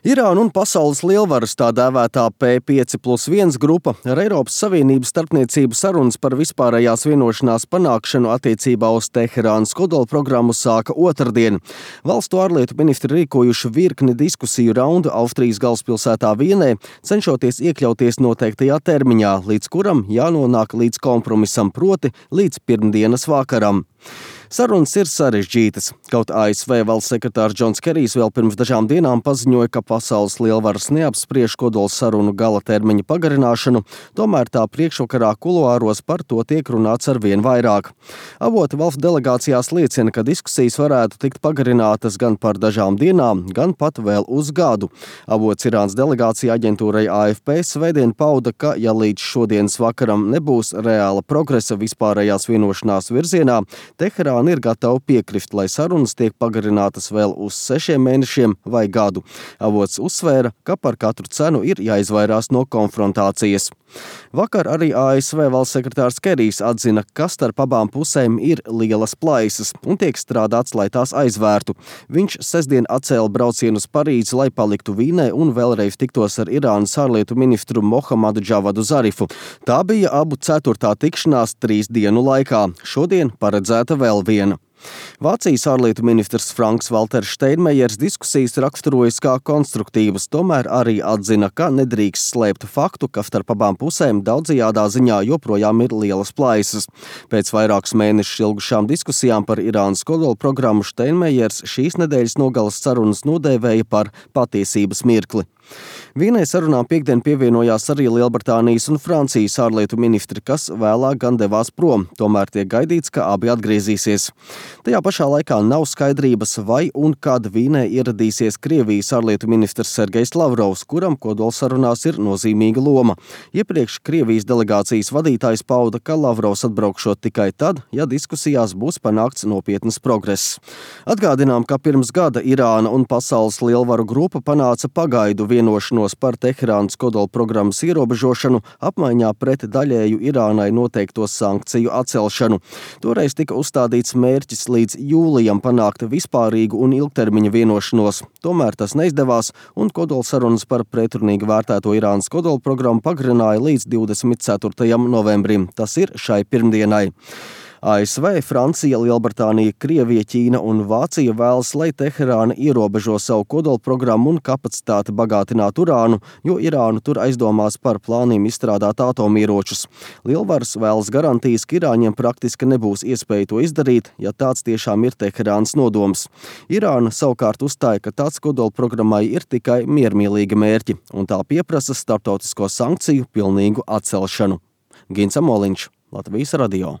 Irāna un pasaules lielvaras tā dēvētā P5+1 grupa ar Eiropas Savienības starpniecību sarunas par vispārējās vienošanās panākšanu attiecībā uz Teherānas kodolprogrammu sāka otrdien. Valstu ārlietu ministri rīkojuši virkni diskusiju raundu Austrijas galvaspilsētā Vienē, cenšoties iekļauties noteiktajā termiņā, līdz kuram jānonāk līdz kompromisam, proti līdz pirmdienas vakaram. Sarunas ir sarežģītas. Kaut ASV valsts sekretārs Džons Kerijs vēl pirms dažām dienām paziņoja, ka pasaules lielvaras neapspriež kodola sarunu gala termiņa pagarināšanu, tomēr tā priekšvakarā kuluāros par to tiek runāts arvien vairāk. Avoti valstu delegācijās liecina, ka diskusijas varētu tikt pagarinātas gan par dažām dienām, gan pat vēl uz gadu. Avots Irānas delegācija aģentūrai AFP svētdien pauda, ka ja līdz šodienas vakaram nebūs reāla progresa vispārējās vienošanās virzienā, Teherāna ir gatava piekrist, lai sarunas tiek pagarinātas vēl uz 6 mēnešiem vai gadu. Avots uzsvēra, ka par katru cenu ir jāizvairās no konfrontācijas. Vakar arī ASV valsts sekretārs Kerijs atzina, ka starp abām pusēm ir lielas plaisas un tiek strādāts, lai tās aizvērtu. Viņš sestdien atcēla braucienu uz Parīzi, lai paliktu Vīnē un vēlreiz tiktos ar Irānas ārlietu ministru Mohamadu Džavadu Zarifu. Tā bija abu 4. tikšanās 3 dienu laikā. Šodien paredzēta vēl viena. Vācijas ārlietu ministrs Franks Valters Steinmeiers diskusijas raksturojas kā konstruktīvas, tomēr arī atzina, ka nedrīkst slēpt faktu, ka starp abām pusēm daudzajādā ziņā joprojām ir lielas plaisas. Pēc vairākus mēnešus ilgušām diskusijām par Irānas kodolprogrammu Steinmeiers šīs nedēļas nogalas sarunas nodēvēja par patiesības mirkli. Vīnē sarunām piekdien pievienojās arī Lielbritānijas un Francijas ārlietu ministri, kas vēlāk gan devās prom, tomēr tiek gaidīts, ka abi atgriezīsies. Tajā pašā laikā nav skaidrības, vai un kad Vīnē ieradīsies Krievijas ārlietu ministrs Sergejs Lavrovs, kuram kodolsarunās ir nozīmīga loma. Iepriekš Krievijas delegācijas vadītājs pauda, ka Lavrovs atbraukšot tikai tad, ja diskusijās būs panākts nopietnas progress. Atgādinām, ka pirms gada Irāna un pasaules lielvaru grupa panāca pagaidu vienošanos par Teherānas kodolprogrammas ierobežošanu apmaiņā pret daļēju Irānai noteikto sankciju atcelšanu. Toreiz tika uzstādīts mērķis līdz jūlijam panākt vispārīgu un ilgtermiņa vienošanos. Tomēr tas neizdevās un kodolsarunas par pretrunīgi vērtēto Irānas kodolprogrammu pagarināja līdz 24. novembrim. Tas ir šai pirmdienai. ASV, Francija, Lielbritānija, Krievija, Ķīna un Vācija vēlas, lai Teherāna ierobežo savu kodolprogrammu un kapacitāti bagātināt urānu, jo Irānu tur aizdomās par plāniem izstrādāt atomieročus. Lielvaras vēlas garantijas, ka Irāņiem praktiski nebūs iespēja to izdarīt, ja tāds tiešām ir Teherānas nodoms. Irāna savukārt uzstāja, ka tāds kodolprogrammai ir tikai miermīlīgi mērķi, un tā pieprasa starptautisko sankciju pilnīgu atcelšanu. Gins Amoliņš, Latvijas radio.